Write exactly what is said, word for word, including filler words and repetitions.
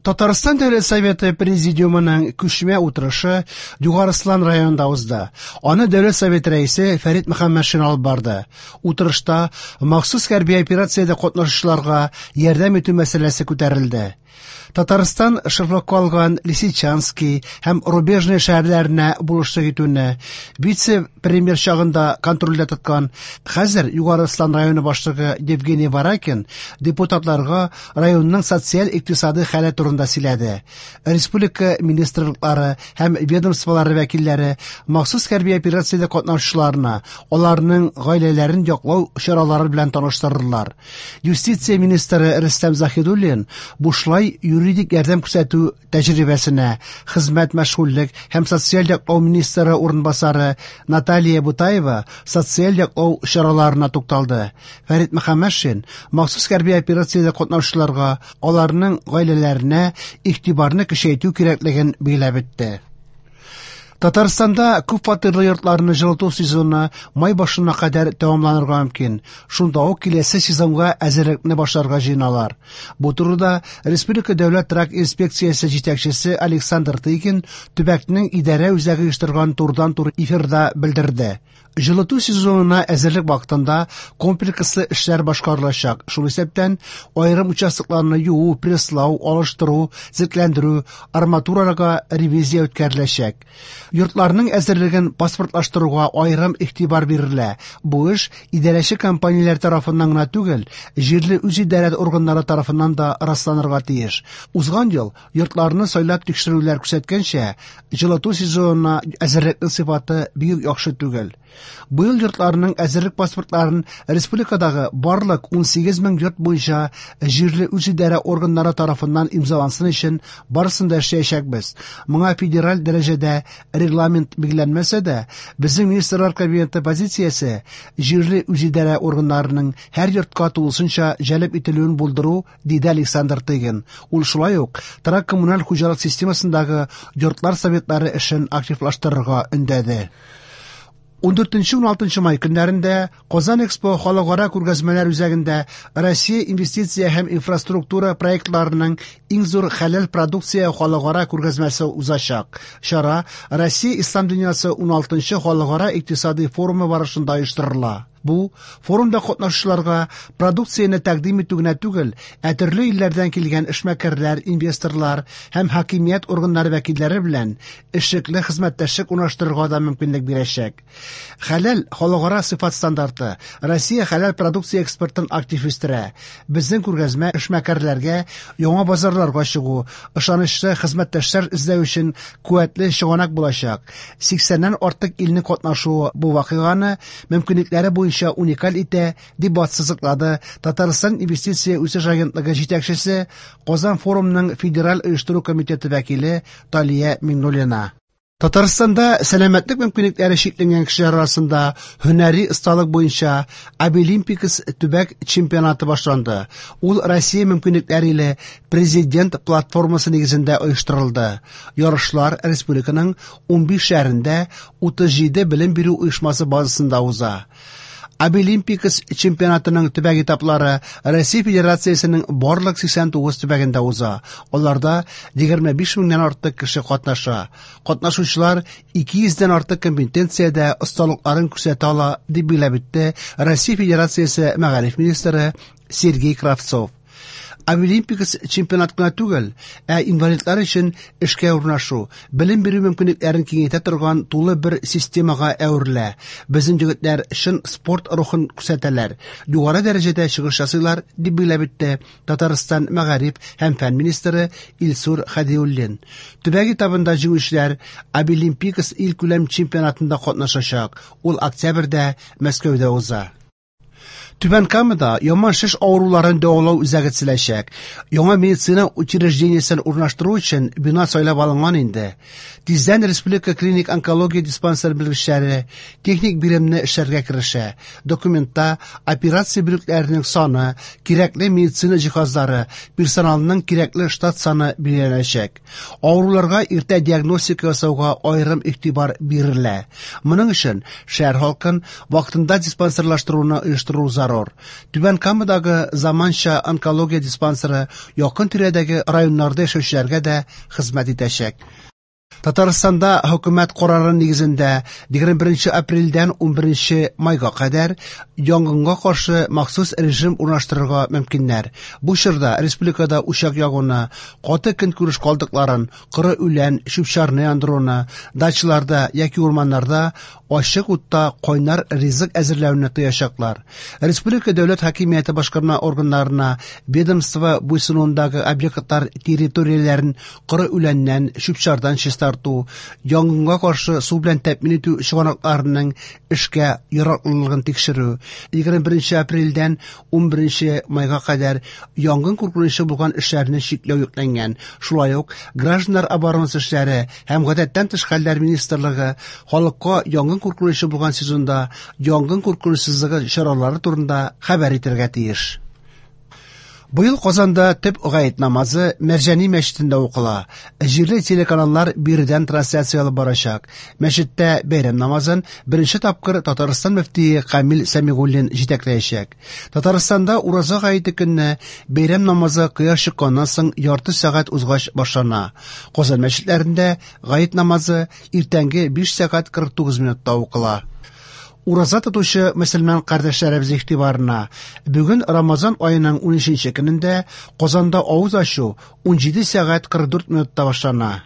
Татарстан Дәүләт Советы Президиумының күчмә утырышы Югары Ослан районында узды. Аны Дәүләт Советы рәисе Фәрит Мөхәммәтшин алып барды. Утырышта махсус хәрби операциядә катнашучыларга ярдәм итү мәсьәләсе күтәрелде. Татарстан шефлыкка алган Лисичанский һәм Рубежное шәһәрләренә булышлык итүне вице-премьер чагында контрольдә тоткан хәзер Югары Ослан районы башлыгы Евгений Варакин депутатларга районның социаль-икътисади хәле турында сөйләде. Республика министрлыклары һәм ведомстволары вәкилләре махсус хәрби операциядә катнашучыларны, аларның гаиләләрен яклау чаралары белән таныштырдылар. Юстиция министры Рөстәм Заһидуллин бушлай юридик ярдәм күрсәтү тәҗрибәсенә, хезмәт, мәшгульлек һәм социаль яклау министры урынбасары Наталья Бутаева социаль яклау чараларына тукталды. Фәрит Мөхәммәтшин махсус хәрби операциядә катнашучыларга, аларның гаиләләренә игътибарны көчәйтү кирәклеген билгеләп үтте. Татарстанда күп фатирлы йортларны җылыту сезоны май башына кадәр тәмамланырга мөмкин. Шунда ук киләсе сезонга әзерлекне башларга җыеналар. Бу турыда Республика дәүләт торак инспекциясе җитәкчесе Александр Тыгин төбәкнең идарә үзәге оештырган турыдан-туры эфирда белдерде. Җылыту сезонына әзерлек вакытында комплекслы эшләр башкарылачак. Шул исәптән аерым участокларны юу, пресслау, алыштыру, төзекләндерү, арматураларга ревизия үткәреләчәк. Йортларның әзерлеген паспортлаштыруга аерым игътибар бирелә. Бу эш идарәче компанияләр тарафыннан гына түгел, җирле үзидарә органнары тарафыннан да расланырга тиеш. Узган ел йортларны сайлап тикшерүләр күрсәткәнчә, җылыту сезонына әзерлекнең сыйфаты бик яхшы түгел. Быел йортларның әзерлек паспортларын республикадагы барлык унсигез мең йорт буенча җирле үзидарә органнары тарафыннан имзалансын өчен барысын да эшләячәкбез. Моңа федераль дәрәҗәдә регламент билгеләнмәсә дә, безнең Министрлар Кабинеты позициясе җирле үзидарә органнарының һәр йортка тулысынча җәлеп ителүен булдыру, диде Александр Тыгин. Ул шулай ук торак коммуналь хуҗалык системасындагы йортлар советлары эшен активлаштырырга өндәде. Ундүртенче-уналтынчы май көннәрендә Казан Экспо халыкара күргәзмәләр үзәгендә Россия инвестиция һәм инфраструктура проектларының иң зур хәләл продукция халыкара күргәзмәсе узачак. Чара Россия Ислам дөньясы уналтынчы халыкара икътисади форумы барышында оештырыла. Бу форумда катнашучыларга продукцияне тәкъдим итү генә түгел, ә төрле илләрдән килгән эшмәкәрләр, инвесторлар һәм хакимият органнары вәкилләре белән эшлекле хезмәттәшлек урнаштырырга да мөмкинлек бирәчәк. Хәләл халыкара сыйфат стандарты Россия хәләл продукция экспортын актив үстерә. Безнең күргәзмә эшмәкәрләргә яңа базарларга чыгу, ышанычлы хезмәттәшләр эзләү өчен куәтле чыганак булачак. Сиксәннән артык илнең катнашуы бу вакыйганы мөмкинлекләре буенча уникаль итә, дип бассызыклады Татарстан инвестиция үсеш агентлыгы җитәкчесе, Казан форумының федераль оештыру комитеты вәкиле Талия Миңнуллина. Татарстанда сәламәтлек мөмкинлекләре чикләнгән кешеләр арасында һөнәри осталык буенча Абилимпикс төбәк чемпионаты башланды. Ул Россия мөмкинлекләре иле президент платформасы нигезендә оештырылды. Ярышлар республиканың унбиш шәһәрендә утыз җиде белем бирү оешмасы базасында уза. Абилимпикс чемпионатының төбәк этаплары Россия Федерациясенең барлык сиксән тугыз төбәгендә уза. Аларда егерме биш меңнән артык кеше катнаша. Катнашучылар ике йөздән артык компетенциядә осталыкларын күрсәтә ала, дип билгеләп үтте Россия Федерациясе мәгариф министры Сергей Кравцов. Абилимпикс чемпионат кына түгел, ә инвалидлар өчен эшкә урнашу, белем бирү мөмкинлекләрен киңәйтә торган тулы бер системага әверелә. Безнең егетләр чын спорт рухын күрсәтәләр, югары дәрәҗәдә чыгыш ясыйлар, дип билгеләп үтте Татарстан мәгариф һәм фән министры Илсур Хәдиуллин. Төбәк этабында җиңүчеләр Абилимпикс илкүләм чемпионатында катнашачак. Ул октябрьдә Мәскәүдә уза. Түбән Камада яман шеш авыруларын дәвалау үзәге төзеләчәк. Яңа медицина учреждениесен урнаштыру өчен бина сайлап алынган инде. Тиздән Республика клиник онкология диспансер белгечләре техник биремне эшләргә керешә. Документта операция бүлекләренең саны, кирәкле медицина җиһазлары, персоналның кирәкле штат саны билгеләнәчәк. Авыруларга иртә диагностика ясауга аерым игътибар бирелә. Моның өчен шәһәр халкын вакытында диспансерлаштыруны оештыру зарур. зарур. Түбән Камадагы заманча онкология диспансеры якын тирәдәге районнарда яшәүчеләргә дә хезмәт итәчәк. Татарстанда хөкүмәт карары нигезендә егерме беренче апрельдән унберенче майга кадәр янгынга каршы махсус режим урнаштырырга мөмкиннәр. Бу чорда республикада учак ягуны, каты көнкүреш калдыкларын, коры үлән, чүп-чарны яндыруны, дачаларда яки урманнарда ачык утта кайнар ризык әзерләүне тыячаклар. Республика дәүләт хакимияте башкарма органнарына ведомство буйсынуындагы объектлар территорияләрен коры үләннән, чүп-чардан чистарту, янгынга каршы су белән тәэмин итү чыганакларының эшкә яраклылыгын тикшерү, егерме беренче апрельдән унберенче майга кадәр янгын куркынычы булган эшләрне чикләү йөкләнгән. Шулай ук гражданнар оборонасы эшләре һәм гадәттән тыш хәлләр министрлыгы халыкка янгын куркынычы булган сезонда янгын куркынычсызлыгы чаралары турында хәбәр итәргә тиеш. Быел Казанда төп гает намазы Мәрҗани мәчетендә укыла. Җирле телеканаллар биредән трансляция алып барачак. Мәчеттә бәйрәм намазын беренче тапкыр Татарстан мөфтие Камил Сәмигуллин җитәкләячәк. Татарстанда ураза гаете көнне бәйрәм намазы кояш чыкканнан соң ярты сәгать узгач башлана. Казан мәчетләрендә гает намазы иртәнге биш сәгать кырык тугыз минутта укыла. Ураза тотучы мөселман кардәшләребез игътибарына, бүген Рамазан аеның унөченче көнендә Казанда авыз ачу унҗиде сәгать кырык дүрт минутта башлана.